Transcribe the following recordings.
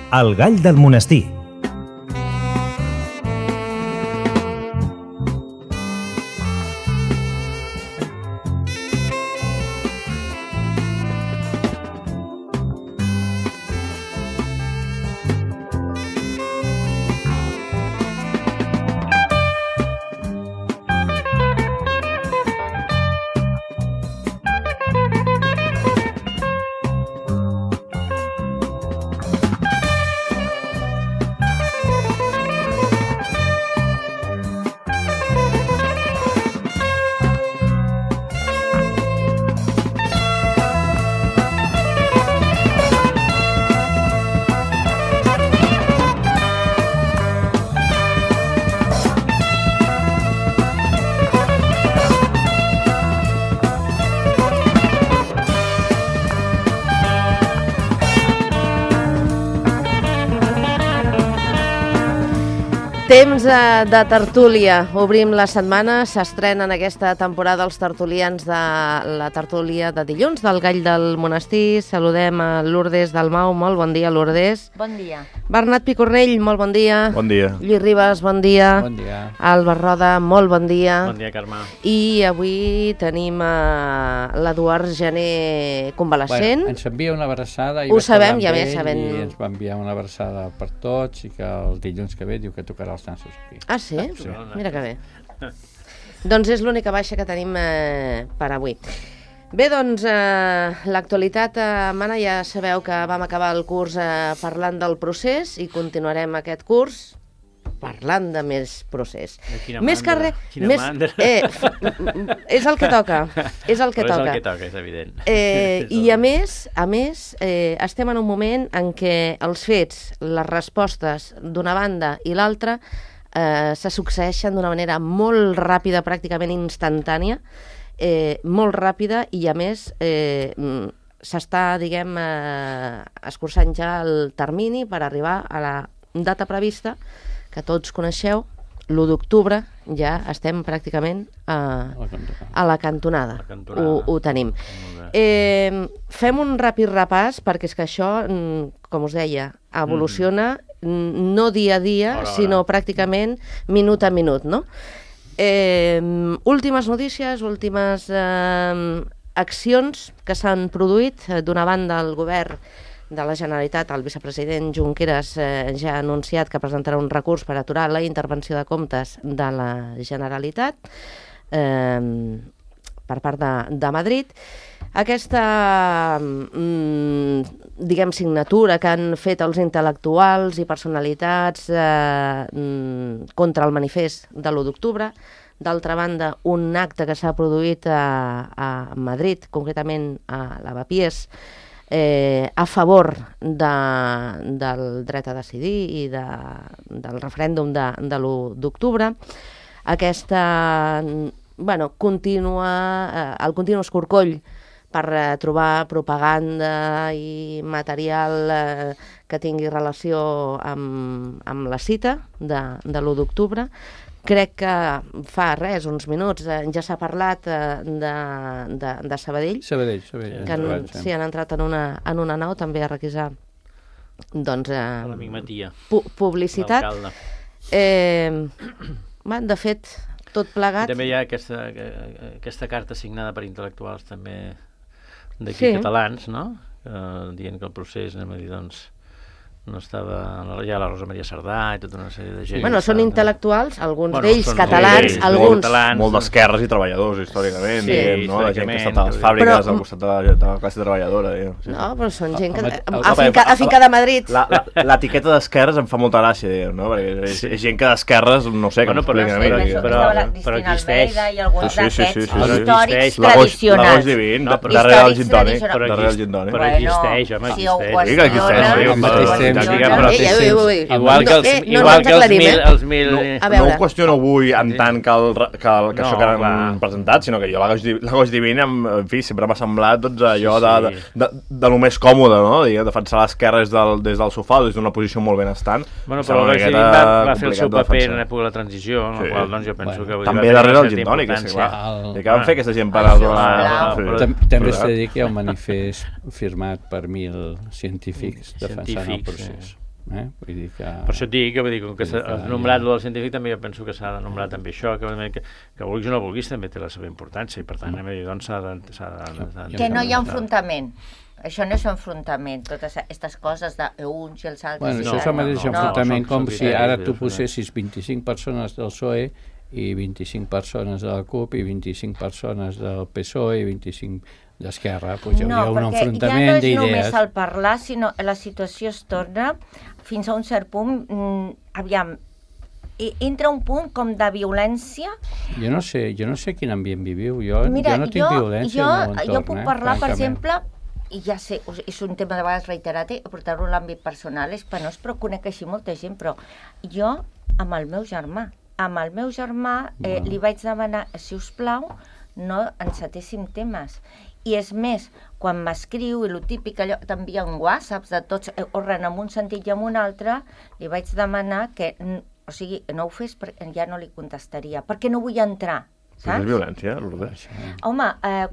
El gall del monestir. Temps de tertúlia. Obrim la setmana. S'estrenen aquesta temporada els tertulians de la tertúlia de dilluns del Gall del Monestir. Saludem a Lourdes Dalmau. Molt bon dia, Lourdes. Bon dia. Bernat Picornell, molt bon dia. Bon dia. Lluís Ribas, bon dia. Bon dia. Albert Roda, molt bon dia. Bon dia, Carme. I avui tenim l'Eduard Gené convalescent. Bueno, ens envia una abraçada. Ho sabem, ja més sabem. I ens va enviar una abraçada per tots i que el dilluns que ve diu que tocarà els nassos aquí. Ah, sí? Mira que bé. Doncs és l'única baixa que tenim per avui. Bé, doncs, l'actualitat mana, ja sabeu que vam acabar el curs parlant del procés i continuarem aquest curs parlant de més procés. Més que res... És el que toca. És el que toca. És el que toca, és evident. I a més, estem en un moment en què els fets, les respostes d'una banda i l'altra se succeeixen d'una manera molt ràpida, pràcticament instantània, molt ràpida, i a més s'està, diguem, escurçant ja el termini per arribar a la data prevista que tots coneixeu, l'1 d'octubre, ja estem pràcticament a la cantonada. Ho tenim. Fem un ràpid repàs, perquè és que això, com us deia, evoluciona no dia a dia, sinó pràcticament minut a minut, no? Últimes notícies, últimes accions que s'han produït. D'una banda, el govern de la Generalitat, el vicepresident Junqueras ja ha anunciat que presentarà un recurs per aturar la intervenció de comptes de la Generalitat per part de Madrid. Aquesta, diguem, signatura que han fet els intel·lectuals i personalitats contra el manifest de l'1 d'octubre. D'altra banda, un acte que s'ha produït a Madrid, concretament a Lavapiés, a favor del dret a decidir i del referèndum de l'1 d'octubre. Aquesta, el continu escorcoll per trobar propaganda i material que tingui relació amb la cita de l'1 d'octubre. Crec que fa uns minuts ja s'ha parlat de Sabadell. Sabadell. Que sí, han entrat en una nau també a requisar l'amic Matia, publicitat. De fet, tot plegat... I també hi ha aquesta carta signada per intel·lectuals també d'aquí catalans, no? Dient que el procés, anem a dir, doncs, no estava... Ja la Rosa Maria Sardà i tota una sèrie de gent... Bueno, són intel·lectuals, alguns d'ells catalans, alguns... Molt d'esquerres i treballadors, històricament, diguem, no? La gent que està a les fàbriques al costat de la classe treballadora. No, però són gent que... afincada a Madrid. L'etiqueta d'esquerres em fa molta gràcia, diguem, no? Perquè és gent que d'esquerres, no sé, que m'expliquen a mi. Però existeix. I alguns d'aquests històrics tradicionals. tradicionals. Divin, darrere el gin tònic. Però existeix, home, existeix. Sí que existeix. Igual que els mil... No ho qüestiono avui en tant que això que han presentat, sinó que jo l'Agost Divina, en fi, sempre m'ha semblat allò de lo més còmode, no? Defensar l'esquerra des del sofà, des d'una posició molt benestant. Bueno, però l'Agost Divina va fer el seu paper en l'època de la transició, en la qual doncs jo penso que... També darrere el gin tònic, és clar. I què van fer aquesta gent per... També s'ha de dir que hi ha un manifest firmat per 1.000 científics defensant el procés. Vull dir que... Per això et dic, com que has nombrat lo del científic, també jo penso que s'ha de nombrar també això, que vulguis o no vulguis també té la seva importància, i per tant, doncs s'ha de... Que no hi ha enfrontament. Això no és enfrontament, totes aquestes coses d'uns i els altres. Bueno, això és el mateix enfrontament com si ara tu posessis 25 persones del PSOE i 25 persones de la CUP i 25 persones del PSOE i 25 d'Esquerra. Pues hi hauria un enfrontament d'idees. No, perquè ja no és només el parlar, sinó la situació es torna fins a un cert punt, aviam, entra un punt com de violència. Jo no sé quin ambient viviu, jo no tinc violència al meu entorn. Jo puc parlar, per exemple, i ja sé, és un tema de vegades reiterat, portar-ho a l'àmbit personal és penós, però conec així molta gent, però jo amb el meu germà li vaig demanar, si us plau, no encetéssim temes. I és més, quan m'escriu, i el típic, allò, t'envia un WhatsApp de tots, orren en un sentit i en un altre, li vaig demanar que, o sigui, no ho fes perquè ja no li contestaria, perquè no vull entrar, saps? És violència, Lourdes. Home,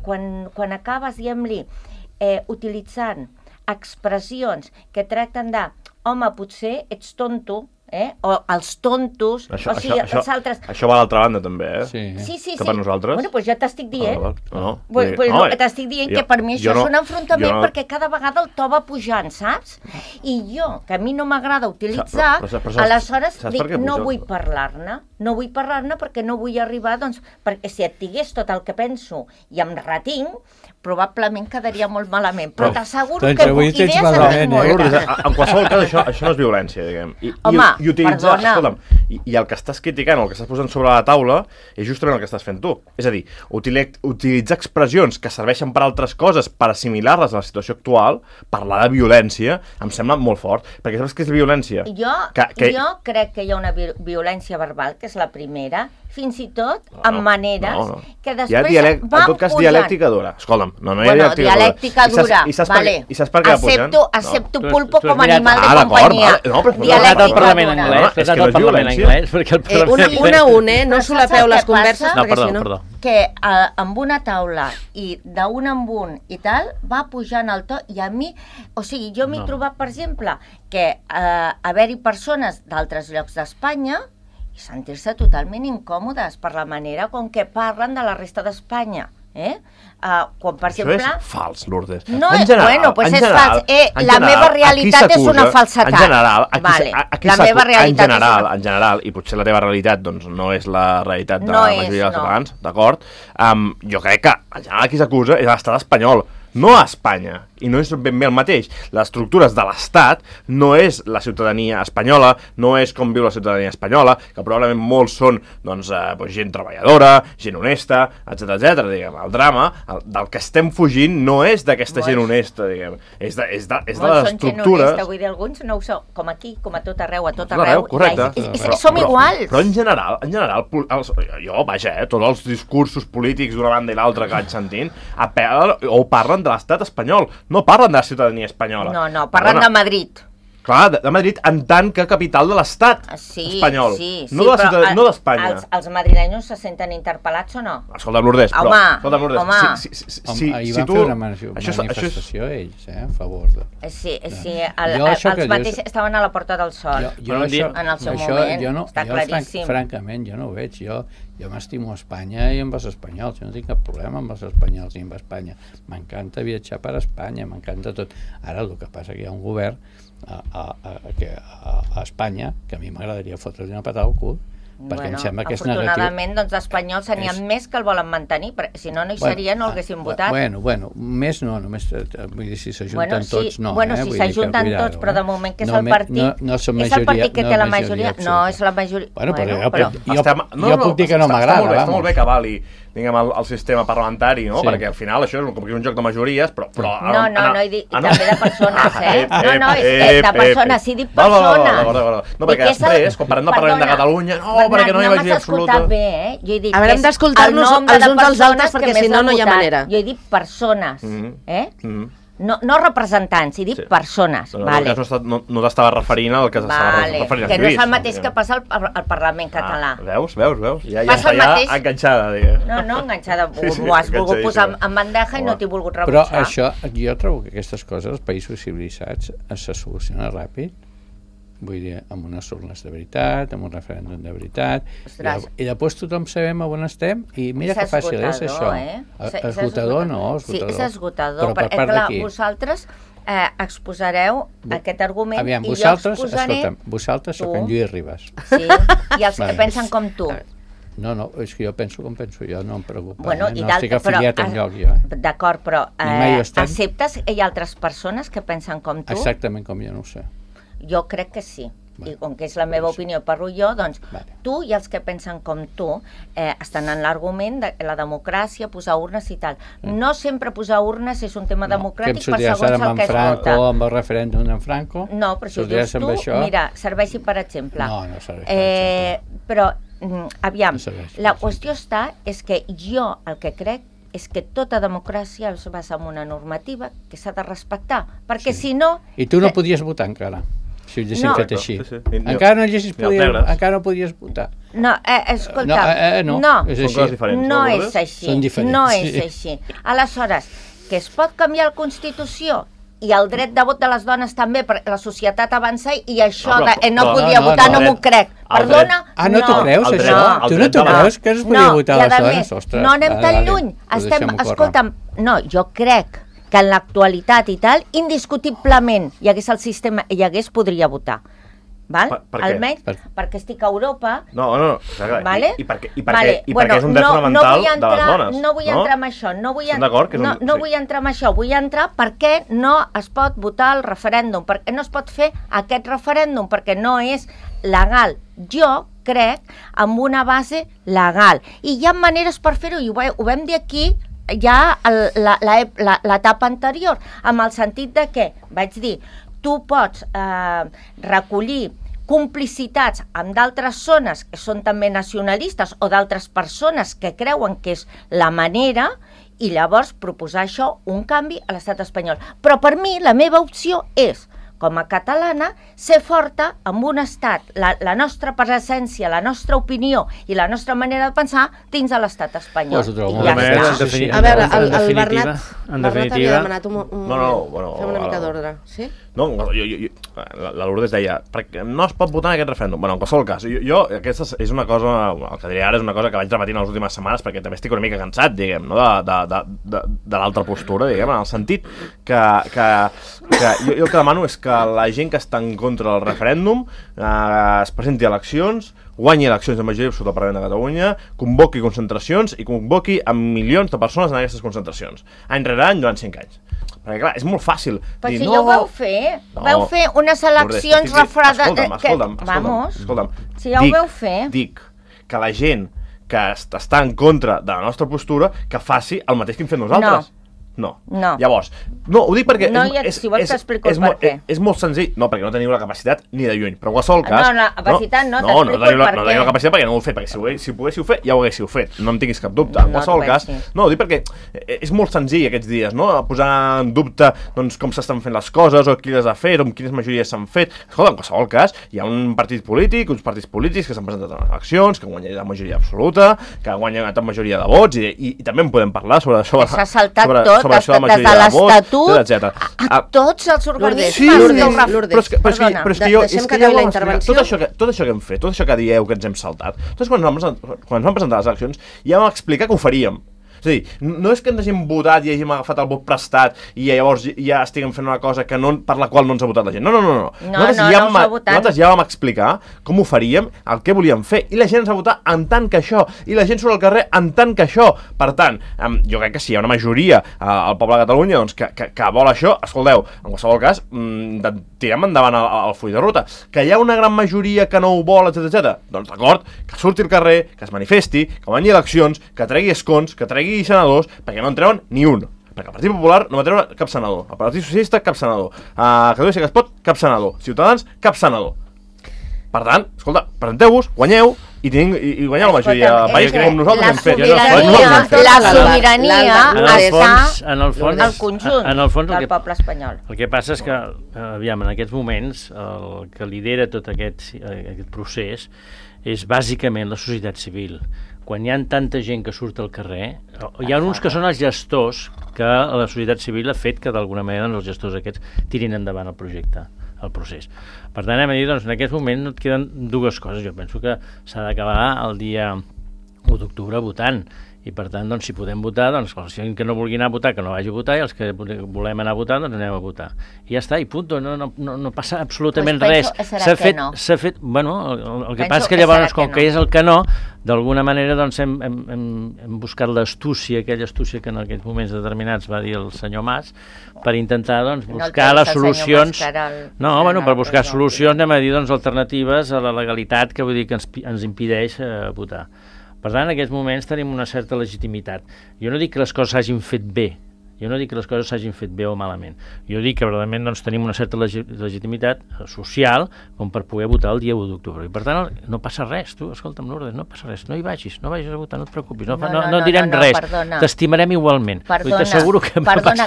quan acabes, diguem-li, utilitzant expressions que tracten de, home, potser ets tonto, o els tontos, o sigui, els altres... Això va a l'altra banda, també, Sí. Que per nosaltres... Bueno, doncs ja t'estic dient. No. T'estic dient que per mi això és un enfrontament perquè cada vegada el to va pujant, saps? I jo, que a mi no m'agrada utilitzar, aleshores dic, no vull parlar-ne perquè no vull arribar, doncs, perquè si et digués tot el que penso i em retinc, probablement quedaria molt malament, però t'asseguro que idees en tinc moltes. En qualsevol cas, això no és violència, diguem. Home, perdona. Escolta'm, i el que estàs criticant, el que estàs posant sobre la taula, és justament el que estàs fent tu. És a dir, utilitzar expressions que serveixen per altres coses, per assimilar-les a la situació actual, parlar de violència, em sembla molt fort. Perquè saps què és violència? Jo crec que hi ha una violència verbal, que és la primera, fins i tot amb maneres que després van pujant. En tot cas, dialèctica dura. Escolta'm, no hi ha dialèctica dura. I saps per què la pugen? Accepto pulpo com a animal de companyia. Dialèctica dura. És que no és violència. Un a un, no solapeu les converses, perquè si no... Perdó. Que amb una taula i d'un en un i tal, va pujant el to, i a mi, o sigui, jo m'he trobat, per exemple, que haver-hi persones d'altres llocs d'Espanya i sentir-se totalment incòmodes per la manera com que parlen de la resta d'Espanya. Quan, per exemple... Això és fals, Lourdes. No, bueno, doncs és fals. La meva realitat és una falsedat. En general, en general, i potser la teva realitat doncs, no és la realitat de la majoria dels catalans, d'acord? Jo crec que en general qui s'acusa és l'estat espanyol, no a Espanya. I no és ben bé el mateix. Les estructures de l'Estat no és la ciutadania espanyola, no és com viu la ciutadania espanyola, que probablement molts són gent treballadora, gent honesta, etc. Diguem. El drama del que estem fugint no és d'aquesta gent honesta, diguem. És de les estructures... Molts són gent honesta, vull dir, alguns no ho són, com aquí, com a tot arreu, correcte. Som iguals. Però en general, jo, tots els discursos polítics d'una banda i l'altra que vaig sentint, o parlen de l'estat espanyol, no parlen de la ciutadania espanyola. No, parlen de Madrid. Clar, de Madrid en tant que capital de l'estat espanyol, no d'Espanya. Els madrilenyos se senten interpel·lats o no? Escolta, Lourdes, ahir van fer una manifestació ells, a favor de... Sí, els mateixos estaven a la Porta del Sol en el seu moment, està claríssim. Francament, jo no ho veig, jo m'estimo a Espanya i amb els espanyols, jo no tinc cap problema amb els espanyols ni amb Espanya. M'encanta viatjar per Espanya, m'encanta tot. Ara el que passa que hi ha un govern a Espanya que a mi m'agradaria fotre-li una patada al cul, perquè em sembla que és negatiu. Afortunadament, doncs, d'espanyols n'hi ha més que el volen mantenir, perquè si no, no hi seria, no l'haguessin votat. Bueno, més no, només, vull dir, si s'ajunten tots, no. Bueno, si s'ajunten tots, però de moment que és el partit... És el partit que té la majoria... No, és la majoria... Bueno, però jo puc dir que no m'agrada. Està molt bé que vali, diguem, el sistema parlamentari, no? Perquè al final això és com un joc de majories, però... No, he dit també de persones, No, és de persones, sí, dic persones. No, perquè després, quan parlem de Catalunya, perquè no hi ha majoria absoluta. Jo he dit haurem d'escoltar-nos els uns als altres perquè si no, no hi ha manera. Jo he dit persones, no representants, he dit persones. No t'estava referint al que s'estava referint a Lluís. Que no és el mateix que passa al Parlament català. Veus? Ja està enganxada, diguem. No, enganxada. M'ho has volgut posar en bandeja i no t'he volgut rebutjar. Però això, jo trobo que aquestes coses, els països civilitzats, se solucionen ràpid. vull dir, amb unes urnes de veritat, amb un referèndum de veritat, i després tothom sabem on estem, i mira que fàcil és això. Esgotador no, esgotador. Sí, és esgotador, perquè clar, vosaltres exposareu aquest argument i jo exposaré... Escolta'm, vosaltres sóc en Lluís Ribas. Sí, i els que pensen com tu. No, és que jo penso com penso jo, no em preocupa. Bueno, no estic afiliat enlloc jo. D'acord, però acceptes que hi ha altres persones que pensen com tu? Exactament com jo, no ho sé. Jo crec que sí. I com que és la meva opinió, parlo jo, doncs tu i els que pensen com tu estan en l'argument de la democràcia, posar urnes i tal. No sempre posar urnes és un tema democràtic per segons el que es vota. Amb el referèndum d'en Franco? No, però si ho dius tu, mira, serveixi per exemple. No serveix per exemple. Però, aviam, la qüestió és que jo el que crec és que tota democràcia es basa en una normativa que s'ha de respectar, perquè si no... I tu no podies votar encara, si ho haguessin fet així. Encara no podies votar. No, escolta, no és així. Aleshores, que es pot canviar la Constitució i el dret de vot de les dones també, perquè la societat avança i això de no podia votar no m'ho crec. Perdona? No t'ho creus, això? Tu no t'ho creus que es podia votar a les dones? Ostres. No anem tan lluny. Escolta'm, no, jo crec que en l'actualitat i tal, indiscutiblement hi hagués el sistema, podria votar. Almenys perquè estic a Europa. No, i perquè és un dret fonamental de les dones. No vull entrar en això. No vull entrar en això. Vull entrar perquè no es pot votar el referèndum, perquè no es pot fer aquest referèndum, perquè no és legal. Jo crec en una base legal. I hi ha maneres per fer-ho, i ho vam dir aquí ja l'etapa anterior, amb el sentit de que, vaig dir, tu pots recollir complicitats amb d'altres zones que són també nacionalistes o d'altres persones que creuen que és la manera i llavors proposar això, un canvi a l'estat espanyol. Però per mi la meva opció és, com a catalana, ser forta amb un estat, la nostra presència, la nostra opinió i la nostra manera de pensar dins de l'estat espanyol. A veure, el Bernat havia demanat fer una mica d'ordre. Sí? No, la Lourdes deia, no es pot votar en aquest referèndum. Bueno, en qualsevol cas, jo aquesta és una cosa, el que diré ara és una cosa que vaig repetint les últimes setmanes perquè també estic una mica cansat, diguem, no? de l'altra postura, diguem, en el sentit que jo el que demano és que la gent que està en contra del referèndum es presenti a eleccions, guanyi eleccions de majoria absoluta al Parlament de Catalunya, convoqui concentracions i convoqui a milions de persones en aquestes concentracions, any rere any durant 5 anys. Perquè clar, és molt fàcil dir, si ja ho vau fer, vau fer unes eleccions refredades... Escolta'm, si ja ho vau fer... Dic que la gent que està en contra de la nostra postura, que faci el mateix que hem fet nosaltres. No. Llavors, ho dic perquè si vols t'explico el per què. És molt senzill. No, perquè no teniu la capacitat ni de lluny. Però en qualsevol cas... No, la capacitat no, t'explico el per què. No teniu la capacitat perquè no ho he fet, perquè si ho poguéssiu fer, ja ho haguéssiu fet. No en tinguis cap dubte. En qualsevol cas... No, ho dic perquè és molt senzill aquests dies, no? Posar en dubte com s'estan fent les coses, o qui les ha fet, o amb quines majories s'han fet. Escolta, en qualsevol cas, hi ha un partit polític, uns partits polítics que s'han presentat a les eleccions, que guanyen la majoria absoluta, que guanyen la majoria de vots, i també en podem parlar sobre això de la majoria l'Estatut, a tots els organismes. Lourdes, deixem que acabi la intervenció. Tot això que hem fet, tot això que dieu que ens hem saltat, tots quan ens vam presentar les eleccions ja vam explicar que ho faríem. És a dir, no és que ens hagin votat i hagin agafat el vot prestat i llavors ja estiguem fent una cosa per la qual no ens ha votat la gent. No. Nosaltres ja vam explicar com ho faríem, el que volíem fer, i la gent ens va votar en tant que això, i la gent surt al carrer en tant que això. Per tant, jo crec que si hi ha una majoria al poble de Catalunya que vol això, escolteu, en qualsevol cas, tirem endavant el full de ruta. Que hi ha una gran majoria que no ho vol, etc. Doncs d'acord, que surti al carrer, que es manifesti, que guanyi eleccions, que tregui escons, que tregui senadors, perquè no en treuen ni un. Perquè el Partit Popular no va treure cap senador, el Partit Socialista cap senador, Catalunya sí que es pot cap senador, Ciutadans cap senador. Per tant, escolta, presenteu-vos, guanyeu i guanyeu la majoria del país com nosaltres hem fet. La sobirania està en el conjunt del poble espanyol. El que passa és que, aviam, en aquests moments el que lidera tot aquest procés és bàsicament la societat civil. Quan hi ha tanta gent que surt al carrer, hi ha uns que són els gestors que la societat civil ha fet que d'alguna manera els gestors aquests tirin endavant el projecte. el procés. Per tant, hem de dir, doncs, en aquest moment no et queden dues coses. Jo penso que s'ha d'acabar el dia 1 d'octubre votant, i per tant, doncs, si podem votar, doncs, els que no vulguin anar a votar, que no vagi a votar, i els que volem anar a votar, doncs anem a votar. I ja està, i punt, no passa absolutament res. S'ha fet, bueno, el que passa és que llavors, com que és el que no, d'alguna manera, doncs, hem buscat l'astúcia, aquella astúcia que en aquells moments determinats va dir el senyor Mas, per intentar, doncs, buscar les solucions... No, bueno, per buscar solucions, anem a dir, doncs, alternatives a la legalitat, que vull dir que ens impedeix votar. Per tant, en aquests moments tenim una certa legitimitat. Jo no dic que les coses s'hagin fet bé, jo no dic que les coses s'hagin fet bé o malament. Jo dic que realment doncs, tenim una certa legitimitat social com per poder votar el dia 1 d'octubre. I per tant, no passa res, tu, escolta'm, Lourdes, no passa res, no hi vagis a votar, no et preocupis, no direm res, t'estimarem igualment. Perdona,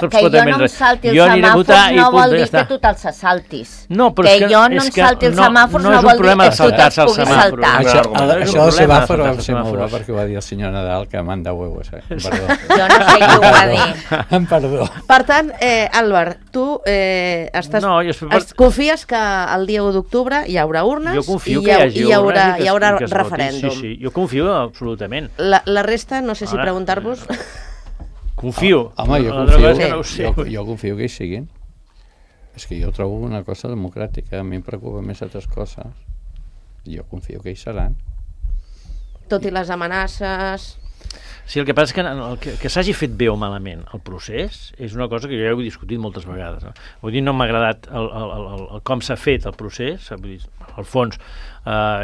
que jo no em salti els semàfors no vol dir que tu te'ls saltis. Que jo no em salti els semàfors no vol dir que tu te'ls puguis saltar. Això del semàfor va ser molt bo perquè ho va dir el senyor Nadal, que manda huevos, perdó. Jo no sé qui ho va dir. Perdó. Per tant, Àlvar, tu confies que el dia 1 d'octubre hi haurà urnes i hi haurà referèndum. Sí, jo confio absolutament. La resta, no sé si preguntar-vos... Confio. Home, jo confio que hi siguin. És que jo trobo una cosa democràtica, a mi em preocupa més altres coses. Jo confio que hi seran. Tot i les amenaces... Sí, el que passa és que s'hagi fet bé o malament el procés és una cosa que jo he discutit moltes vegades. No? Vull dir, no m'ha agradat com s'ha fet el procés. Vull dir, al fons,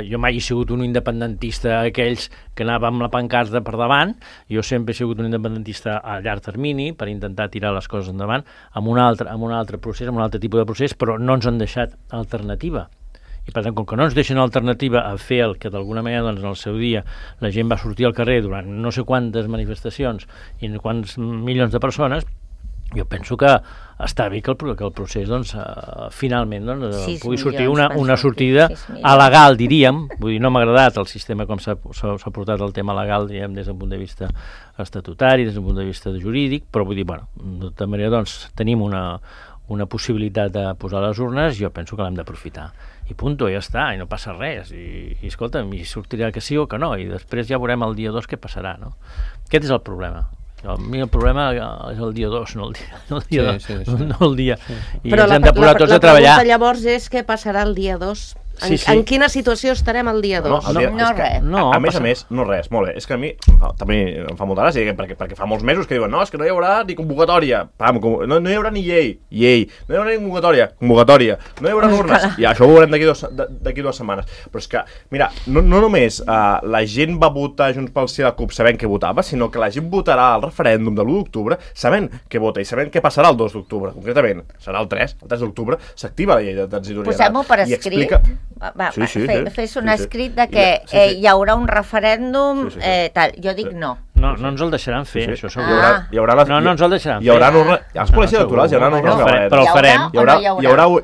jo mai he sigut un independentista aquells que anava amb la pancarta per davant. Jo sempre he sigut un independentista a llarg termini per intentar tirar les coses endavant amb un altre procés, amb un altre tipus de procés, però no ens han deixat alternativa. I per tant, com que no ens deixen alternativa a fer el que d'alguna manera doncs, en el seu dia la gent va sortir al carrer durant no sé quantes manifestacions i quants milions de persones, jo penso que està bé que el procés doncs, finalment doncs, pugui sortir una sortida legal, diríem. Vull dir, no m'ha agradat el sistema com s'ha portat el tema legal, diguem, des del punt de vista estatutari, des del punt de vista jurídic, però vull dir, bueno, de tota manera doncs, tenim una possibilitat de posar les urnes, jo penso que l'hem d'aprofitar. I punto, ja està, i no passa res. I escolta'm, i sortirà que sí o que no, i després ja veurem el dia 2 què passarà, no? Aquest és el problema. A mi el problema és el dia 2, no el dia 2. No el dia. I ens hem de posar tots a treballar. La pregunta llavors és què passarà el dia 2? En quina situació estarem el dia 2? No res. A més, no res, molt bé. És que a mi també em fa molta gràcia, perquè fa molts mesos que diuen no, és que no hi haurà ni convocatòria. No hi haurà ni llei. No hi haurà ni convocatòria. No hi haurà urnes. I això ho veurem d'aquí 2 setmanes. Però és que, mira, no només la gent va votar Junts pel Sí a la CUP sabent què votava, sinó que la gent votarà al referèndum de l'1 d'octubre sabent què vota i sabent què passarà el 2 d'octubre. Concretament, serà el 3 d'octubre, s'activa la llei de transitorietat. Posem-ho per escrit. Fes un escrit de que hi haurà un referèndum tal. Jo dic no. No ens el deixaran fer, això segur. No ens el deixaran fer. Hi haurà als col·legis electorals, hi haurà urnes i babaretes. Però el farem.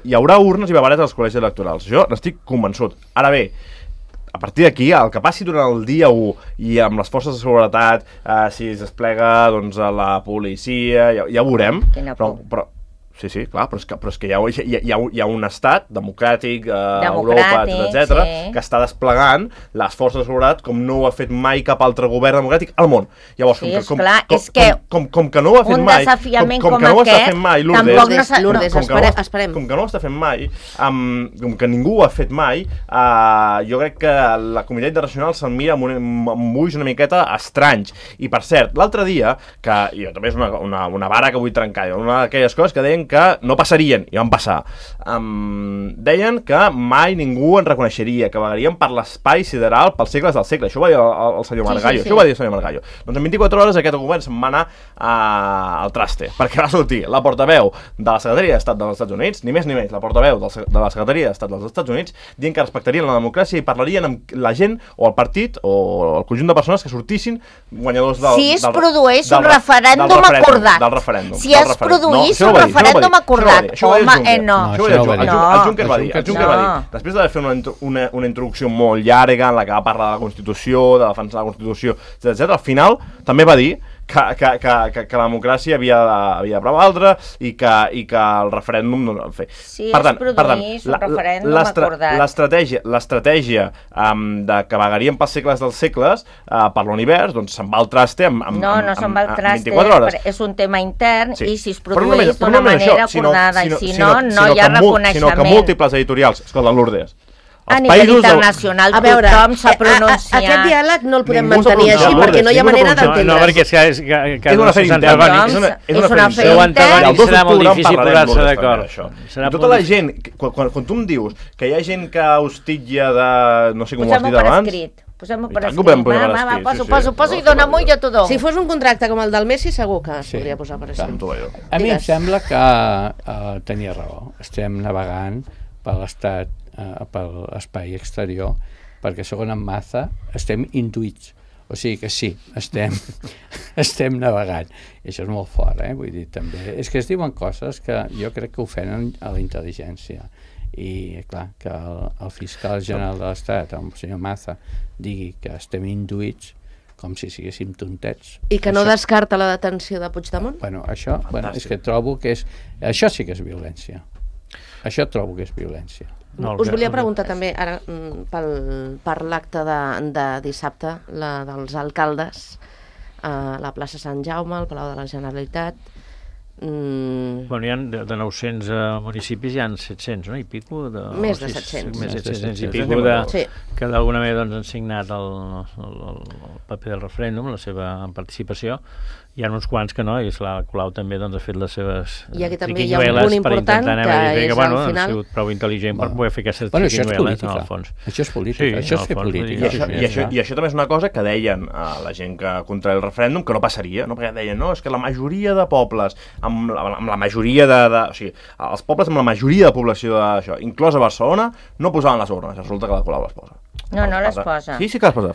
Hi haurà urnes i babaretes als col·legis electorals. Jo n'estic convençut. Ara bé, a partir d'aquí, el que passi durant el dia 1 i amb les forces de seguretat, si es desplega doncs, la policia, ja ho veurem. Però sí, clar, però és que hi ha un estat democràtic, Europa, etc., que està desplegant les forces de seguretat com no ho ha fet mai cap altre govern democràtic al món. Llavors, com que no ho ha fet mai... Un desafiament com aquest, tampoc no s'ha... Lourdes, esperem. Com que no ho està fent mai, com que ningú ho ha fet mai, jo crec que la comunitat internacional se'l mira amb ulls una miqueta estranys. I, per cert, l'altre dia, que jo també és una vara que vull trencar, una d'aquelles coses que deien que no passarien, i van passar. Deien que mai ningú en reconeixeria, que vagarien per l'espai sideral pels segles del segle. Això ho va dir el senyor Margallo. Això ho va dir el senyor Margallo. Doncs en 24 hores aquest govern se'n va anar al traste, perquè va sortir la portaveu de la Secretaria d'Estat dels Estats Units, ni més ni menys, la portaveu de la Secretaria d'Estat dels Estats Units, dient que respectarien la democràcia i parlarien amb la gent o el partit o el conjunt de persones que sortissin guanyadors del... Si es produeix un referèndum acordat. Si es produeix un referèndum acordat. Home, no. El Juncker va dir. Després d'haver fet una introducció molt llarga en la que va parlar de la Constitució, de defensar la Constitució, etc., al final també va dir que la democràcia havia de prevaldre i que el referèndum no el fer. Sí, es produís un referèndum acordat. L'estratègia de que vagaríem pels segles dels segles per l'univers, doncs se'n va al traste en 24 hores. És un tema intern i si es produeix d'una manera acordada i si no, no hi ha reconeixement. Sinó que múltiples editorials, escolta, Lourdes, a nivell internacional tothom s'ha pronunciat. Aquest diàleg no el podem mantenir així perquè no hi ha manera d'entendre. No, perquè és una feina interna. És una feina interna. I serà molt difícil posar-se d'acord. Tota la gent, quan tu em dius que hi ha gent que hostitja de... no sé com ho has dit abans... Posem-ho per escrit. Poso i dona-m'ho i jo t'ho dono. Si fos un contracte com el del Messi, segur que es podria posar per escrit. A mi em sembla que tenia raó. Estem navegant per l'estat, per l'espai exterior, perquè segons en Maza estem intuïts. O sigui que sí, estem navegant. I això és molt fort, vull dir, també. És que es diuen coses que jo crec que ofenen a la intel·ligència. I, clar, que el fiscal general de l'Estat, el senyor Maza, digui que estem induïts com si siguéssim tontets. I que no descarta la detenció de Puigdemont? Bueno, això és que trobo que és... Això sí que és violència. Això trobo que és violència. Us volia preguntar també, ara, per l'acte de dissabte, la dels alcaldes, a la plaça Sant Jaume, al Palau de la Generalitat. Bueno, hi ha de 900 municipis, hi ha 700, no? I pico? Més de 700. Més de 700 i pico que d'alguna manera han signat el paper del referèndum, la seva participació. Hi ha uns quants que no, i la Colau també ha fet les seves triquinyueles per intentar dir que ha sigut prou intel·ligent per poder fer aquestes triquinyueles en el fons. Això és política, això és fer política. I això també és una cosa que deien la gent que contra el referèndum que no passaria, no? Perquè deien, no, és que la majoria de pobles amb la majoria o sigui, els pobles amb la majoria de població d'això, inclosa Barcelona, no posaven les urnes. Resulta que la Colau les posa. No les posa. Sí que les posa.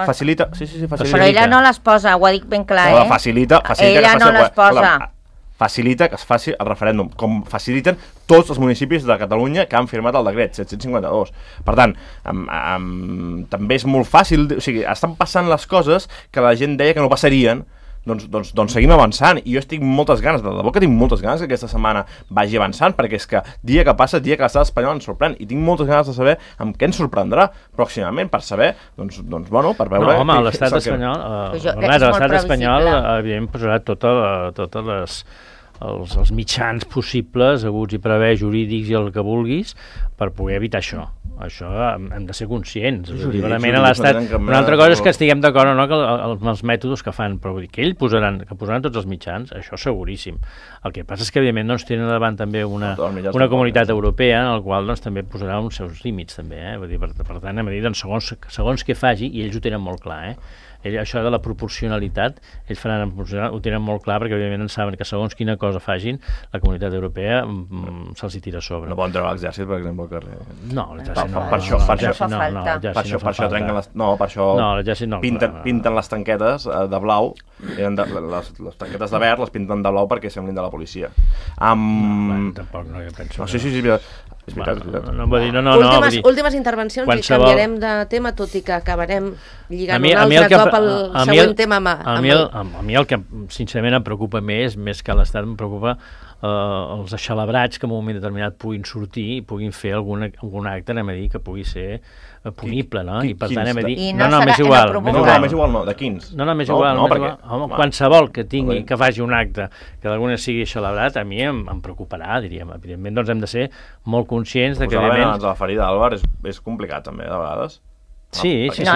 Facilita. Però ella no les posa, ho ha dit ben clar, Ella no les posa. Facilita que es faci el referèndum, com faciliten tots els municipis de Catalunya que han firmat el decret 752. Per tant, també és molt fàcil, o sigui, estan passant les coses que la gent deia que no passarien. Doncs seguim avançant, i jo estic amb moltes ganes, de debò que tinc moltes ganes que aquesta setmana vagi avançant, perquè és que dia que passa, dia que l'estat espanyol ens sorprèn, i tinc moltes ganes de saber amb què ens sorprendrà pròximament, per saber, bueno, per veure... No, home, l'estat espanyol evidentment posarà totes els mitjans possibles, haguts i per haver, jurídics i el que vulguis, per poder evitar això. Això hem de ser conscients. Una altra cosa és que estiguem d'acord o no amb els mètodes que fan, però que ells posaran tots els mitjans, això seguríssim. El que passa és que, evidentment, tenen davant també una comunitat europea en la qual també posarà uns seus límits, també. Per tant, hem de dir, segons què faci, i ells ho tenen molt clar, això de la proporcionalitat, ells ho tenen molt clar, perquè evidentment saben que segons quina cosa fagin, la comunitat europea se'ls hi tira a sobre. No poden treure l'exèrcit, per exemple, al carrer. No, l'exèrcit no. Per això trenquen les... No, per això pinten les tanquetes de blau, les tanquetes de verd les pinten de blau perquè semblin de la policia. Tampoc no, jo penso... Sí, és veritat. Últimes intervencions i canviarem de tema, tot i que acabarem lligant un altre cop el següent tema. A mi el que sincerament em preocupa més que l'Estat, em preocupa els aixelebrats que en un moment determinat puguin sortir i puguin fer algun acte, anem a dir, que pugui ser punible, no? I per tant anem a dir... M'és igual, de quins? M'és igual. Qualsevol que tingui, que faci un acte que d'alguna sigui celebrat, a mi em preocuparà, diríem. Evidentment, doncs hem de ser molt conscients de que... Posar abans de la ferida d'Àlvar és complicat, també, de vegades. Sí. És una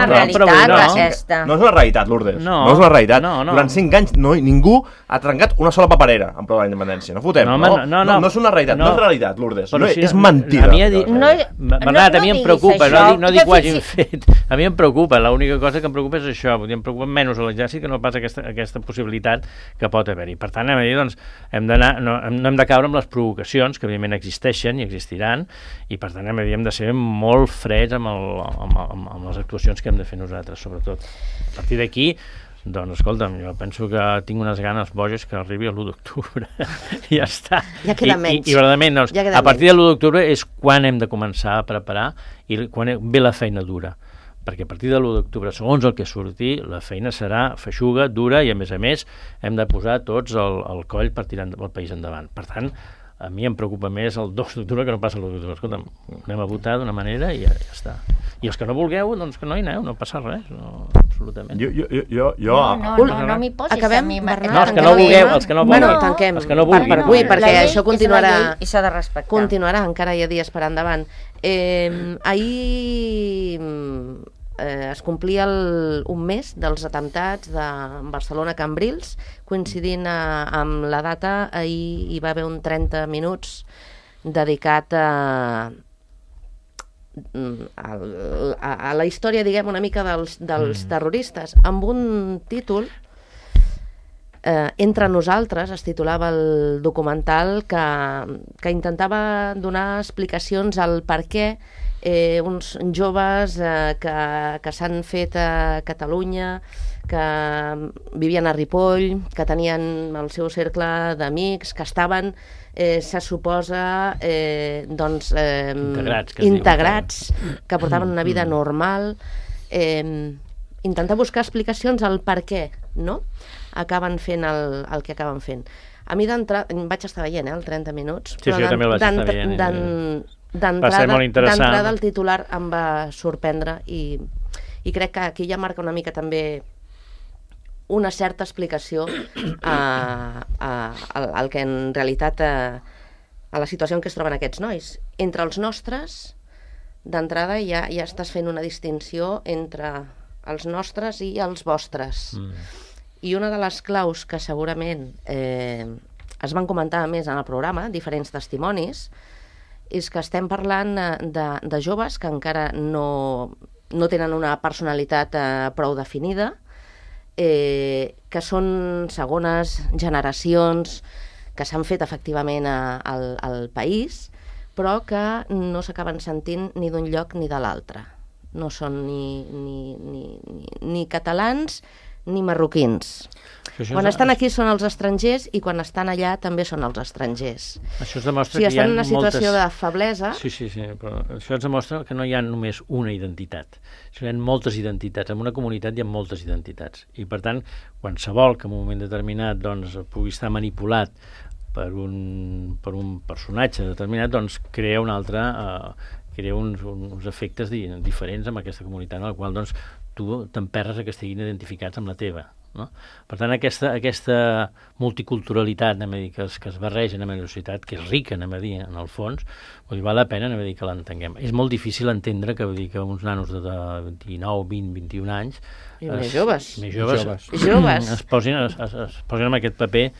realitat, aquesta. No és una realitat, Lourdes. No és una realitat. Durant 5 anys ningú ha trencat una sola paperera en prova de la independència. No fotem, no és una realitat. No és realitat, Lourdes. És mentida. Bernat, a mi em preocupa, no dic que ho hagin fet. A mi em preocupa, l'única cosa que em preocupa és això. Em preocupa menys l'exèrcit que no pas aquesta possibilitat que pot haver-hi. Per tant, no hem de caure amb les provocacions, que evidentment existeixen i existiran, i per tant hem de ser molt freds amb les actuacions que hem de fer nosaltres, sobretot. A partir d'aquí, doncs, escolta'm, jo penso que tinc unes ganes boges que arribi l'1 d'octubre. I ja està. Ja queda menys. I verdaderament, a partir de l'1 d'octubre és quan hem de començar a preparar i quan ve la feina dura. perquè a partir de l'1 d'octubre, segons el que surti, la feina serà feixuga, dura, i a més hem de posar tots el coll per tirar el país endavant. Per tant, a mi em preocupa més el 2 d'octubre que no passa l'1 d'octubre. Escolta'm, anem a votar d'una manera i ja està. I els que no vulgueu, doncs que no hi aneu, no passa res, no, absolutament. No m'hi posis a mi. No, els que no vulgueu, els que no vulgueu. Bueno, tanquem els que no vulguin. per avui, perquè això continuarà. I s'ha de respectar. Continuarà, encara hi ha dies per endavant. Ahir es complia un mes dels atemptats de Barcelona Cambrils, coincidint amb la data. Ahir hi va haver un 30 minuts dedicat a la història, diguem, una mica dels terroristes, amb un títol, Entre nosaltres, es titulava el documental, que intentava donar explicacions al per què uns joves que s'han fet a Catalunya, que vivien a Ripoll, que tenien el seu cercle d'amics, que estaven, se suposa, integrats, que portaven una vida normal, intentar buscar explicacions al per què, no?, acaben fent el que acaben fent. A mi d'entrada, vaig estar veient el 30 minuts, però jo també el vaig estar veient. D'entrada el titular em va sorprendre i crec que aquí ja marca una mica també una certa explicació al que en realitat, a la situació en què es troben aquests nois. Entre els nostres, d'entrada ja estàs fent una distinció entre els nostres i els vostres. I una de les claus que segurament es van comentar més en el programa, diferents testimonis, és que estem parlant de joves que encara no tenen una personalitat prou definida, que són segones generacions que s'han fet efectivament al país, però que no s'acaben sentint ni d'un lloc ni de l'altre. No són ni catalans ni marroquins. Quan estan aquí són els estrangers i quan estan allà també són els estrangers. Això es demostra que estan en una situació de feblesa. Sí, però això ens demostra que no hi ha només una identitat. Hi ha moltes identitats. En una comunitat hi ha moltes identitats. I, per tant, qualsevol que en un moment determinat pugui estar manipulat per un personatge determinat, doncs crea un altre... crea uns efectes diferents en aquesta comunitat, en la qual tu t'emperres que estiguin identificats amb la teva. No? Per tant, aquesta multiculturalitat que es barreja en la societat, que és rica, en el fons, val la pena que l'entenguem. És molt difícil entendre que uns nanos de 19, 20, 21 anys i més joves es posin en aquest paper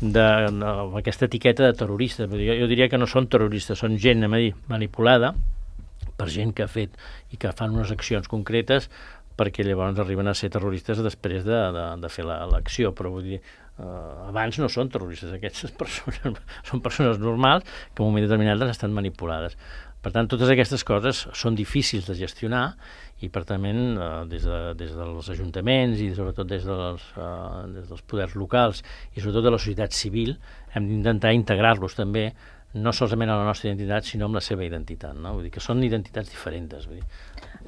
d'aquesta etiqueta de terrorista. Jo diria que no són terroristes, són gent manipulada per gent que ha fet i que fan unes accions concretes perquè llavors arriben a ser terroristes després de fer l'acció. Però vull dir, abans no són terroristes, aquestes persones són persones normals que en un moment determinat estan manipulades. Per tant, totes aquestes coses són difícils de gestionar i, per tant, des dels ajuntaments i sobretot des dels poders locals i sobretot de la societat civil hem d'intentar integrar-los també no solament a la nostra identitat, sinó amb la seva identitat. No? Vull dir que són identitats diferents. Vull dir.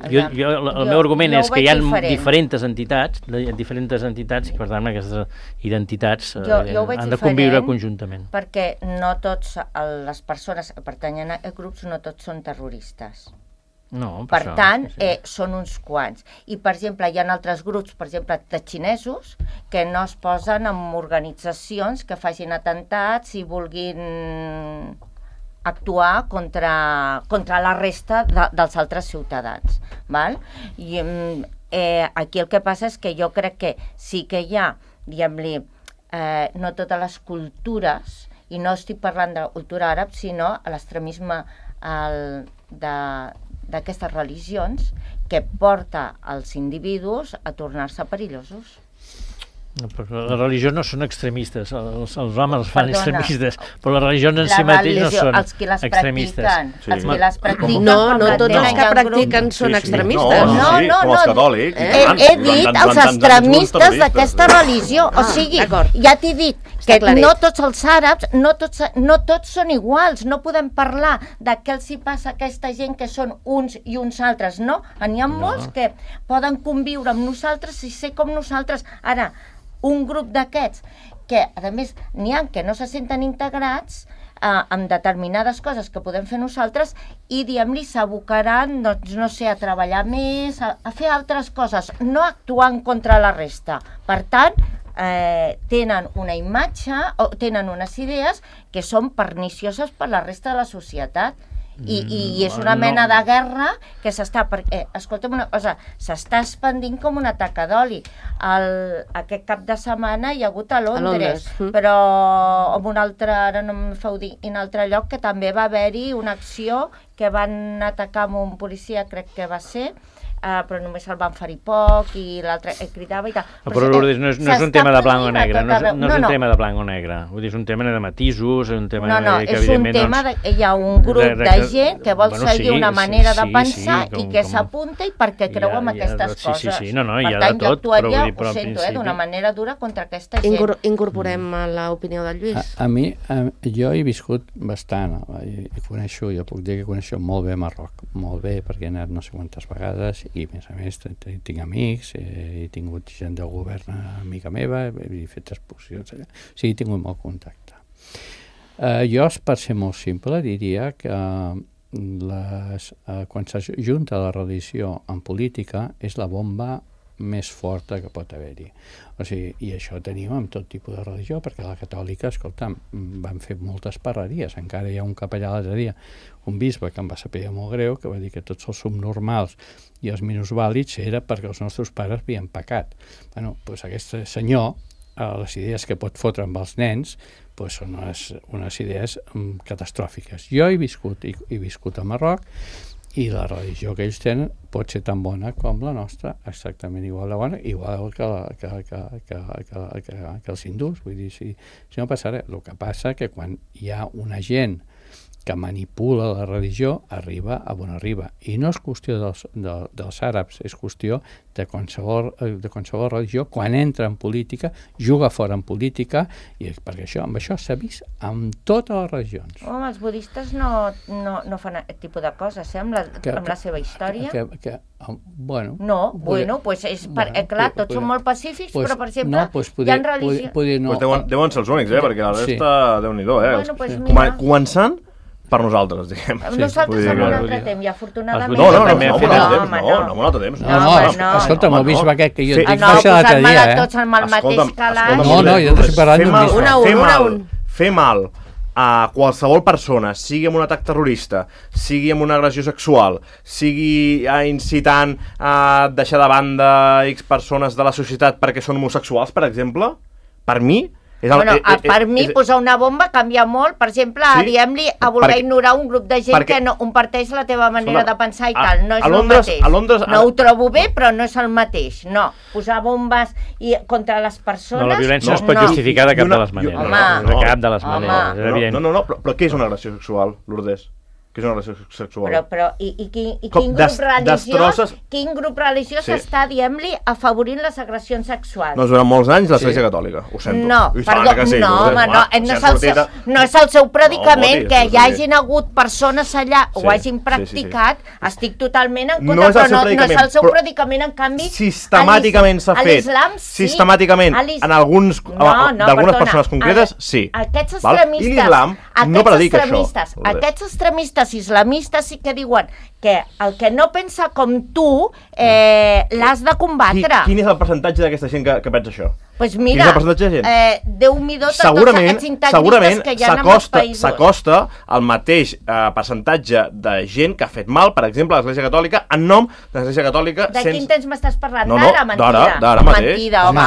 El meu argument és que hi ha diferents entitats i, per tant, aquestes identitats han de conviure conjuntament. Perquè no tots les persones que pertanyen a grups, no tots són terroristes. No, per tant, són uns quants. I, per exemple, hi ha altres grups, per exemple, de xinesos, que no es posen en organitzacions que facin atemptats i vulguin actuar contra la resta dels altres ciutadans. Val? I aquí el que passa és que jo crec que sí que hi ha, diguem-li, no totes les cultures, i no estic parlant de la cultura àrab, sinó l'extremisme d'aquestes religions que porta els individus a tornar-se perillosos. Les religions no són extremistes, els homes els fan extremistes, però les religions en si mateix no són extremistes. Els que les practiquen... No tots els que practiquen són extremistes. No, com els catòlics. He dit els extremistes d'aquesta religió. O sigui, ja t'he dit que no tots els àrabs, no tots són iguals, no podem parlar de què els hi passa a aquesta gent que són uns i uns altres, no? N'hi ha molts que poden conviure amb nosaltres i ser com nosaltres. Ara, un grup d'aquests que, a més, n'hi ha que no se senten integrats amb determinades coses que podem fer nosaltres i, diguem-li, s'abocaran, doncs, no sé, a treballar més, a fer altres coses, no actuant contra la resta. Per tant, tenen una imatge o tenen unes idees que són pernicioses per la resta de la societat. I és una mena de guerra que s'està... Escolta'm una cosa, s'està expandint com una taca d'oli. Aquest cap de setmana hi ha hagut a Londres, però en un altre, ara no em feu dir, en un altre lloc que també va haver-hi una acció que van atacar amb un policia, crec que va ser, però només el van ferir poc i l'altre cridava i tal. Però Lourdes, no és un tema de blanc o negre, no és un tema de blanc o negre, vull dir, és un tema de matisos, és un tema que és un tema hi ha un grup de gent que vol seguir una manera de pensar i que s'apunta i perquè creu en aquestes coses. Per tant, jo actuaria, ho sento, d'una manera dura contra aquesta gent. Incorporem l'opinió del Lluís. A mi, jo he viscut bastant, i coneixo, jo puc dir que coneixo molt bé Marroc, molt bé, perquè he anat no sé quantes vegades i a més tinc amics, he tingut gent del govern amiga meva, he fet exposicions allà, o sigui, he tingut molt contacte. Jo, per ser molt simple, diria que quan s'ajunta la religió en política és la bomba més forta que pot haver-hi. O sigui, i això tenim amb tot tipus de religió, perquè la catòlica, escolta'm, van fer moltes parreries. Encara hi ha un capellà l'altre dia, un bisbe que em va saber molt greu, que va dir que tots els subnormals i els minusvàlids era perquè els nostres pares havien pecat. Bueno, doncs aquest senyor, les idees que pot fotre amb els nens, són unes idees catastròfiques. Jo he viscut a Marroc, i la religió que ells tenen pot ser tan bona com la nostra, exactament igual de bona, igual que els hindús. Vull dir, si no passa res. El que passa que quan hi ha una gent que manipula la religió, arriba a on arriba. I no és qüestió dels àrabs, és qüestió de qualsevol religió. Quan entra en política, juga fora en política, i perquè amb això s'ha vist amb totes les religions. Home, els budistes no fan aquest tipus de coses, amb la seva història. Doncs és... Clar, tots són molt pacífics, però, per exemple, hi ha religions... Deuen ser els únics, perquè la resta, Déu-n'hi-do, començant per nosaltres, diguem. Nosaltres en un altre temps, i afortunadament... No, en un altre temps. Escolta'm, el bisbe aquest que jo dic, no, posant-me de tots en el mateix calaix... No, jo t'estic parlant d'un bisbe. Fer mal a qualsevol persona, sigui amb un atac terrorista, sigui amb una agressió sexual, sigui incitant a deixar de banda X persones de la societat perquè són homosexuals, per exemple, per mi... Per mi, posar una bomba canvia molt, per exemple, diguem-li, a voler ignorar un grup de gent que no comparteix la teva manera de pensar i tal, no és el mateix. No ho trobo bé, però no és el mateix, no. Posar bombes contra les persones... No, la violència no es pot justificar de cap de les maneres. De cap de les maneres. No, però què és una agressió sexual, Lourdes? Que és una relació sexual. Però quin grup religiós està, diguem-li, afavorint les agressions sexuals? No, durant molts anys l'Església Catòlica, ho sento. No, no és el seu predicament, que hi hagin hagut persones allà, ho hagin practicat, estic totalment en contra, però no és el seu predicament, en canvi... Sistemàticament s'ha fet, sistemàticament, d'algunes persones concretes, sí. Aquests extremistes islamistes sí que diuen que el que no pensa com tu l'has de combatre. Quin és el percentatge d'aquesta gent que pensa això? Doncs mira, Déu-n'hi-do tots aquests integristes que hi ha en els països. S'acosta al mateix percentatge de gent que ha fet mal, per exemple, a l'Església Catòlica, en nom de l'Església Catòlica... De quin temps m'estàs parlant? D'ara, mentida. D'ara mateix. Mentida, home.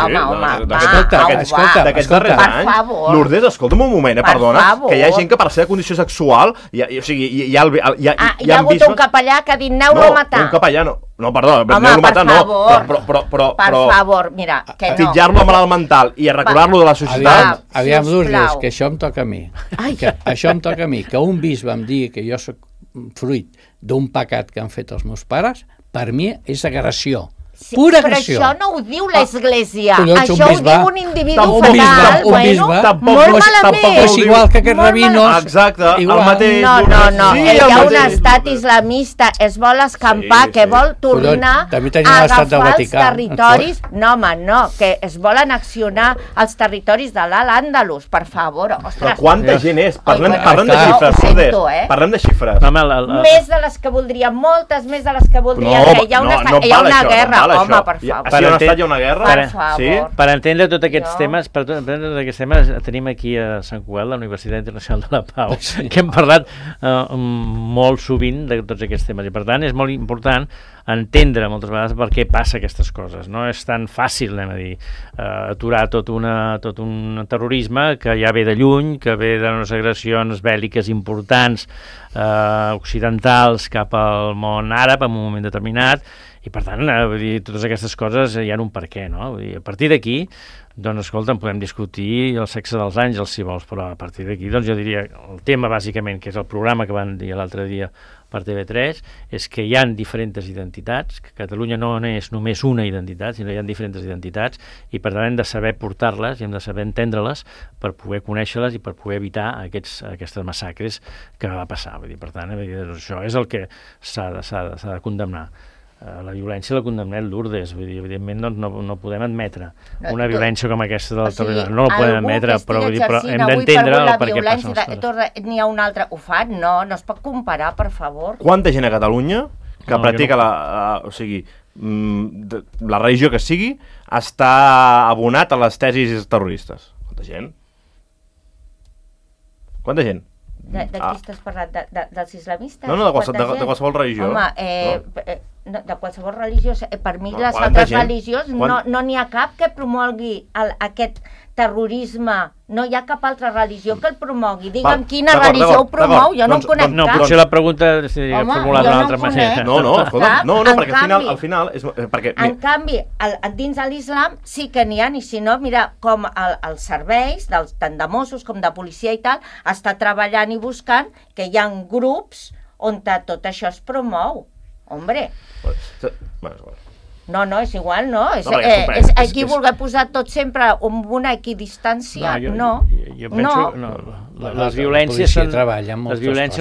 D'aquests darrers anys. Lourdes, escolta'm un moment, perdona, que hi ha gent que per la seva condició sexual, hi ha hagut un capellà que ha dit aneu-lo a matar. No, un capellà no. No, perdó, aneu-lo a matar no. Per favor, mira, que no. A titllar-lo a malalt mental i a recular-lo de la societat... Aviam, Lourdes, que això em toca a mi. Això em toca a mi. Que un bisbe em digui que jo soc fruit d'un pecat que han fet els meus pares, per mi és agressió. Pura però agressió. això no ho diu l'Església, collons, això ho diu un individu fatal. Un bisbe. Molt malament. És igual que aquests rabinos. Exacte, igual. el mateix. No, Sí, hi el ha un mateix. estat islamista, es vol escampar, Sí, que sí. vol tornar També tenim a l'estat del agafar els Vaticà. territoris. No, home, no, que es vol annexionar els territoris de l'Àndalus, per favor. Però Ostres, quanta gent és? Parlem de Ho xifres, sento, Lourdes. Parlem de xifres. No, home, més de les que voldria, moltes més de les que voldria, que hi ha una, no hi ha val una això, guerra, no val home, això. per favor. Si hi ha un estat, hi ha una guerra. Per favor. Sí? per entendre tots aquests Jo- temes, per entendre tots aquests temes, tenim aquí a Sant Cugat, la Universitat Internacional de la Pau, que hem parlat molt sovint de tots aquests temes, i per tant és molt important entendre moltes vegades per què passa aquestes coses. No és tan fàcil, anem a dir, aturar tot un terrorisme que ja ve de lluny, que ve d'unes agressions bèl·liques importants occidentals cap al món àrab en un moment determinat, i per tant, vull dir, totes aquestes coses hi ha un per què, no? Vull dir, a partir d'aquí, doncs, escolta, podem discutir el sexe dels àngels, si vols, però a partir d'aquí, doncs, jo diria, el tema, bàsicament, que és el programa que van dir l'altre dia per TV3, és que hi ha diferents identitats, que Catalunya no és només una identitat, sinó que hi ha diferents identitats, i per tant hem de saber portar-les i hem de saber entendre-les per poder conèixer-les i per poder evitar aquestes massacres que va passar. Vull dir, per tant, això és el que s'ha de condemnar. La violència la condemnem, Lourdes, vull dir, evidentment no podem admetre una violència com aquesta del terrorisme, no la podem admetre, però hem d'entendre el per què passen les coses. N'hi ha un altre, ho fan? No es pot comparar, per favor. Quanta gent a Catalunya que practica o sigui, la religió que sigui, està abonat a les tesis terroristes? Quanta gent? Quanta gent? De qui estàs parlant? Dels islamistes? No, de qualsevol religió. Home, de qualsevol religió. Per mi, les quanta altres gent? religions no n'hi ha cap que promogui aquest terrorisme. No hi ha cap altra religió que el promogui. Digue'm quina religió ho promou, jo no en conec No, cap. potser la pregunta seria formulada d'una altra manera. No, escolta, no, perquè al final... En canvi, dins de l'islam sí que n'hi ha, i si no, mira, com els serveis, tant de Mossos com de policia i tal, està treballant i buscant que hi ha grups on tot això es promou. Hombre. No, és igual, no? És aquí voler posar tot sempre amb una equidistància, no. Jo penso... Les violències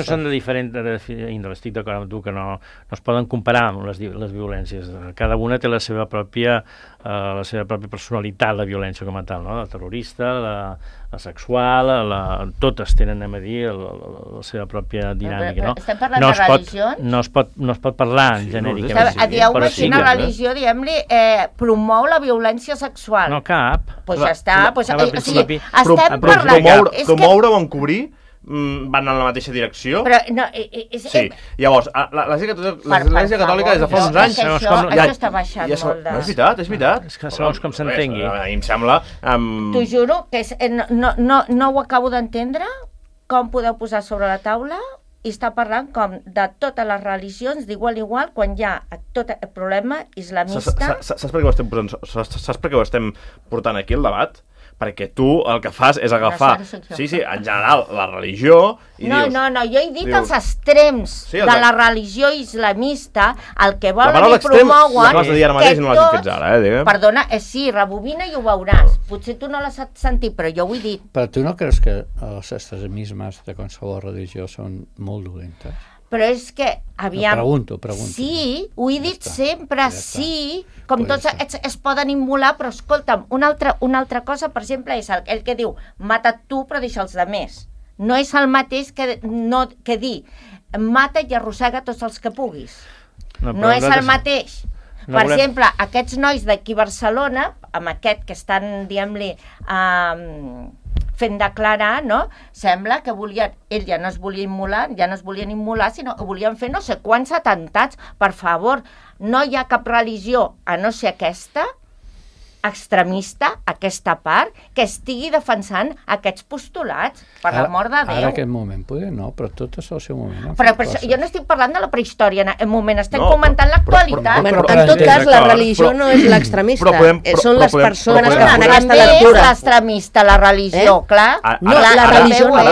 són de diferent índole. Estic d'acord amb tu que no es poden comparar amb les violències. Cada una té la seva pròpia personalitat, la violència com a tal, no? La terrorista, la sexual, totes tenen, anem a dir, la seva pròpia dinàmica, no? Estem parlant de religions? No es pot parlar en genèricament. Dieu-me si una religió, diguem-li, promou la violència sexual. No, cap. Doncs ja està. Estem parlant... Promoure o encobrir van en la mateixa direcció. Però no... Sí, llavors, l'Església Catòlica des de fa uns anys... Això està baixant molt de... No, és veritat. És que segons com s'entengui. A mi em sembla... T'ho juro que no ho acabo d'entendre, com podeu posar sobre la taula i està parlant com de totes les religions d'igual a igual quan hi ha tot el problema islamista. Saps per què ho estem portant aquí, el debat? Perquè tu el que fas és agafar, en general, la religió i dius... No, jo he dit els extrems de la religió islamista, el que volen i promouen... L'acabes de dir ara mateix i no l'has dit fins ara, diguem. Perdona, sí, rebobina i ho veuràs. Potser tu no l'has sentit, però jo ho he dit. Però tu no creus que els extremismes de qualsevol religió són molt dolentes? Però és que, aviam... Pregunto. Sí, ho he dit sempre, sí, com tots es poden immolar, però escolta'm, una altra cosa, per exemple, és el que diu mata tu però deixa els altres. No és el mateix que dir mata i arrossega tots els que puguis. No és el mateix. Per exemple, aquests nois d'aquí a Barcelona, amb aquest que estan, diguem-li, fent declarar, no? Sembla que ells ja no es volien immolar, sinó que volien fer no sé quants atemptats. Per favor, no hi ha cap religió, a no ser aquesta, extremista, aquesta part, que estigui defensant aquests postulats, per l'amor de Déu. Ara aquest moment, poder no, però tot és el seu moment. Però jo no estic parlant de la prehistòria, en moment, estem comentant l'actualitat. En tot cas, la religió no és l'extremista, són les persones que fan aquesta lectura. També és l'extremista, la religió, clar. No, la religió no.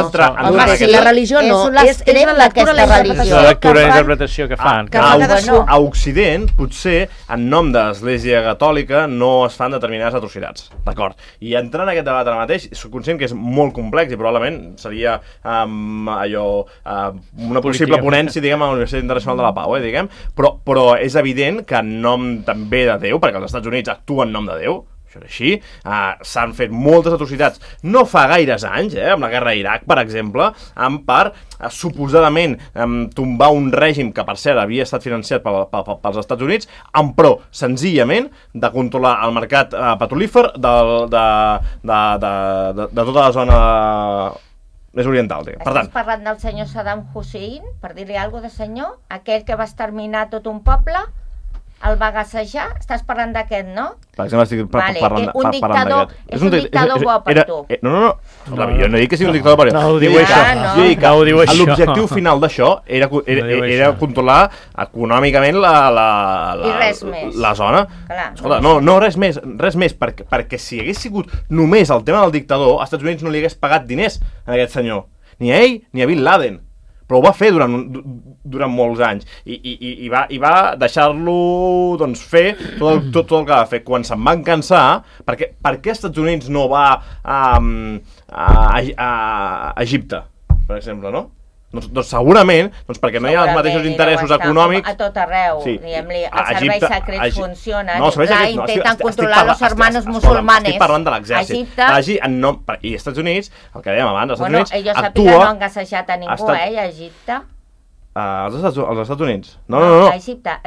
Home, si la religió no, és la lectura, la interpretació. La lectura i la interpretació que fan. A Occident, potser, en nom de l'Església Catòlica, no es fan determinades atrocitats, d'acord? I entrant en aquest debat ara mateix, soc conscient que és molt complex i probablement seria una possible ponència, diguem, a la Universitat Internacional de la Pau, diguem, però és evident que en nom també de Déu, perquè els Estats Units actuen en nom de Déu, això és així, s'han fet moltes atrocitats no fa gaires anys, amb la guerra a Iraq, per exemple, per suposadament tombar un règim que, per cert, havia estat financiat pels Estats Units, en pro, senzillament, de controlar el mercat petrolífer de tota la zona més oriental. Estàs parlant del senyor Saddam Hussein, per dir-li alguna cosa de senyor? Aquell que va exterminar tot un poble? El va gassejar? Estàs parlant d'aquest, no? Per exemple, estic parlant d'aquest. És un dictador bo per tu. No, jo no dic que sigui un dictador per tu. No ho diu això. Jo dic que l'objectiu final d'això era controlar econòmicament la zona. Escolta, no, res més, perquè si hagués sigut només el tema del dictador, als Estats Units no li hagués pagat diners a aquest senyor. Ni a ell, ni a Bin Laden. Però ho va fer durant molts anys i va deixar-lo fer tot el que va fer. Quan se'n van cansar, per què als Estats Units no va a Egipte, per exemple, no? Doncs segurament, perquè no hi ha els mateixos interessos econòmics... A tot arreu, diguem-li, els serveis secrets funcionen, intenten controlar els hermanos musulmanes. Estic parlant de l'exèrcit. I als Estats Units, el que dèiem abans, als Estats Units actua... Jo sàpiga no han gassejat a ningú, a Egipte. Als Estats Units? No. A Egipte.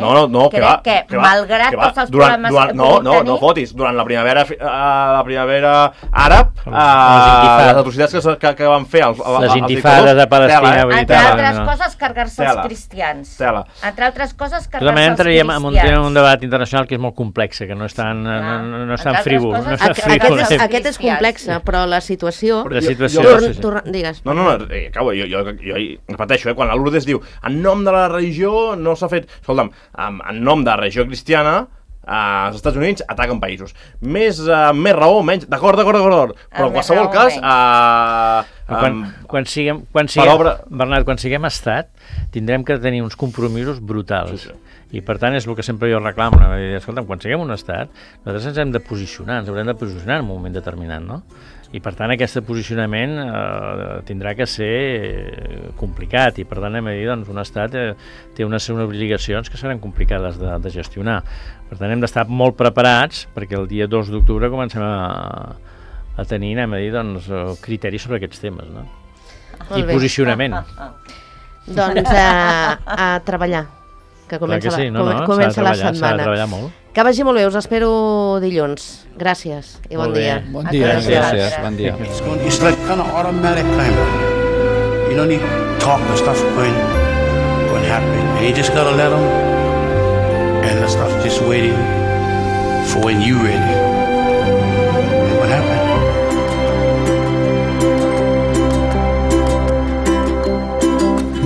No, crec que malgrat tots els problemes que puguin tenir... No fotis, durant la primavera àrab, les atrocitats que van fer els dictadors... Les intifades de Palestina, entre altres coses, carregar-se els cristians. Entre altres coses, carregar-se els cristians. També entraríem en un debat internacional que és molt complex, que no és tan frívol. Aquest és complex, però la situació... Digues. No, jo repeteixo, quan la Lourdes diu en nom de la religió no s'ha fet... Escolta'm, en nom de la religió cristiana als Estats Units ataquen països. Més raó, menys... D'acord. Però en qualsevol cas... Quan siguem Bernat, quan siguem estat, tindrem que tenir uns compromisos brutals. I per tant és el que sempre jo reclamo. Escolta'm, quan siguem un estat, nosaltres ens hem de posicionar, en un moment determinat, no? I per tant aquest posicionament tindrà que ser complicat i per tant hem de dir, doncs, un estat té unes obligacions que seran complicades de gestionar. Per tant hem d'estar molt preparats perquè el dia 2 d'octubre comencem a tenir, doncs, criteris sobre aquests temes, no? I posicionament. Doncs a treballar, que comença la setmana. S'ha de treballar molt. Que vagi molt bé, us espero dilluns. Gràcies i bon dia. Bon dia, gràcies. Bon dia. It's like kind of automatic kind of. You don't need to talk the stuff going to happen. And you just got to let them. And the stuff just waiting for when you ready. And what happened?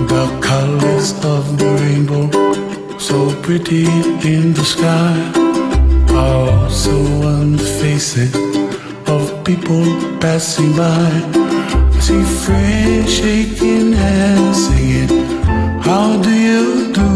The colors of the rainbow, so pretty in the sky, are also on the faces of people passing by. I see friends shaking hands, singing, how do you do?